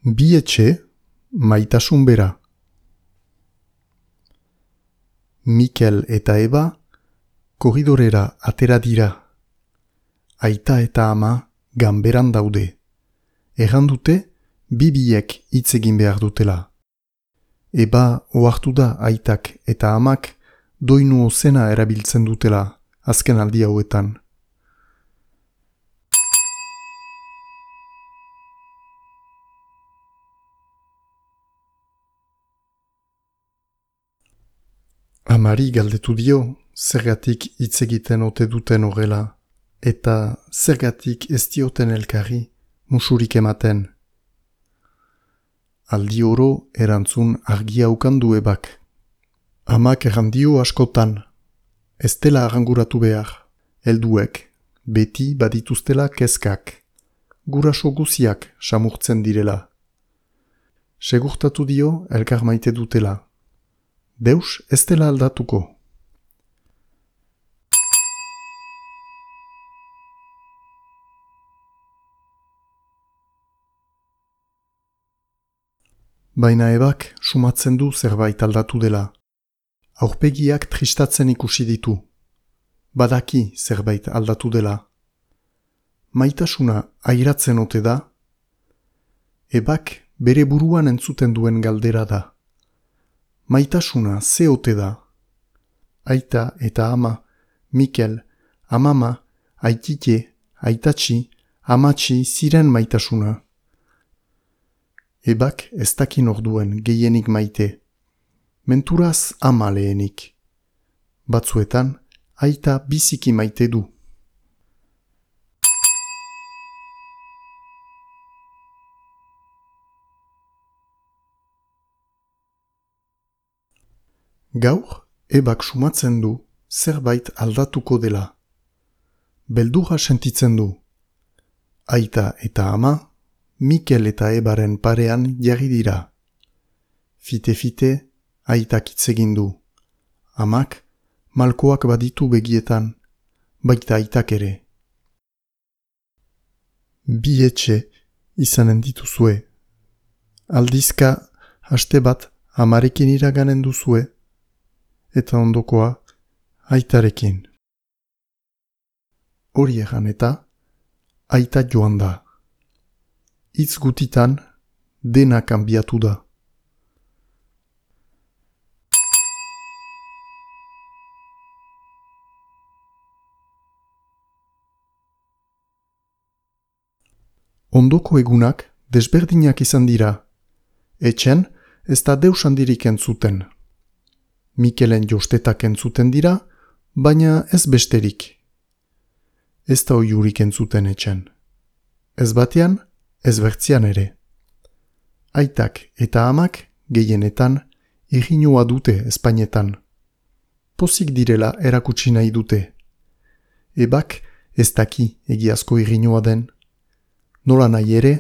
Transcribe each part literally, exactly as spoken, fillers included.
Bi etxe, maitasun bera. Mikel eta Eba korridorera atera dira. Aita eta ama ganberan daude. Erran dute, bi biek hitz egin behar dutela. Eba ohartu da aitak eta amak doinu ozena erabiltzen dutela azken aldi hauetan. Amari galdetu dio, zergatik hitz egiten ote duten horrela, eta zergatik ez dioten elkarri musurik ematen. Aldi oro erantzun argia ukandu Ebak. Amak errandio askotan, ez dela arranguratu behar, helduek, beti badituztela kezkak, guraso guziak samurtzen direla. Segurtatu dio elkar maite dutela. Deus ez dela aldatuko. Baina Ebak sumatzen du zerbait aldatu dela. Aurpegiak tristatzen ikusi ditu. Badaki zerbait aldatu dela. Maitasuna airatzen ote da? Ebak bere buruan entzuten duen galdera da. Maitasuna ze ote da? Aita eta ama, Mikel, amama, aitite, aitatxi, amatxi ziren maitasuna. Ebak ez dakin orduen gehienik maite. Menturaz ama lehenik. Batzuetan, aita biziki maite du. Gaur, Ebak sumatzen du zerbait aldatuko dela. Beldurra sentitzen du. Aita eta ama, Mikel eta Ebaren parean jarri dira. Fite-fite, aitak hitz egin du. Amak, malkoak baditu begietan, baita aitak ere. Bi etxe izanen dituzue. Aldizka, haste bat amarekin iraganen duzue, eta ondokoa aitarekin. Hori egan eta aita joan da. Hitz gutitan dena kanbiatu da. Ondoko egunak desberdinak izan dira. Etxen ez da deus handirik entzuten. Mikelen jostetak entzuten dira, baina ez besterik. Ez da oiurik entzuten etxen. Ez batean, ez bertzian ere. Aitak eta amak gehienetan irrinua dute Espainetan. Pozik direla erakutsi nahi dute. Ebak ez daki egiazko irrinua den. Nola nahi ere,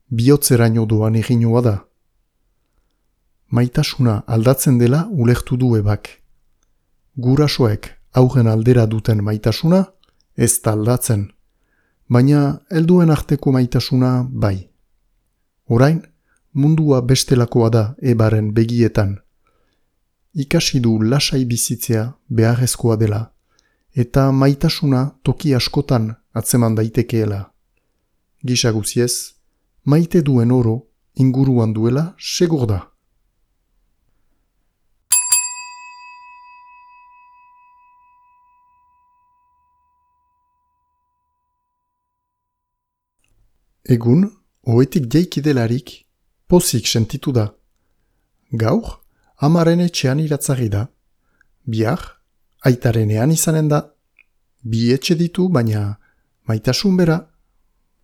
bihotzeraino doan irrinua da. Maitasuna aldatzen dela ulertu du Ebak. Gurasoek aurren aldera duten maitasuna ez da aldatzen, baina helduen arteko maitasuna bai. Orain, mundua bestelakoa da Ebaren begietan. Ikasi du lasai bizitzea beharrezkoa dela, eta maitasuna toki askotan atzeman daitekeela. Gisa guziez, maite duen oro inguruan duela segur da. Egun, ohetik jaiki delarik, pozik sentitu da. Gaur, amaren etxean iratzari da. Bihar, aitarenean izanen da. Bi etxe ditu, baina maitasun bera.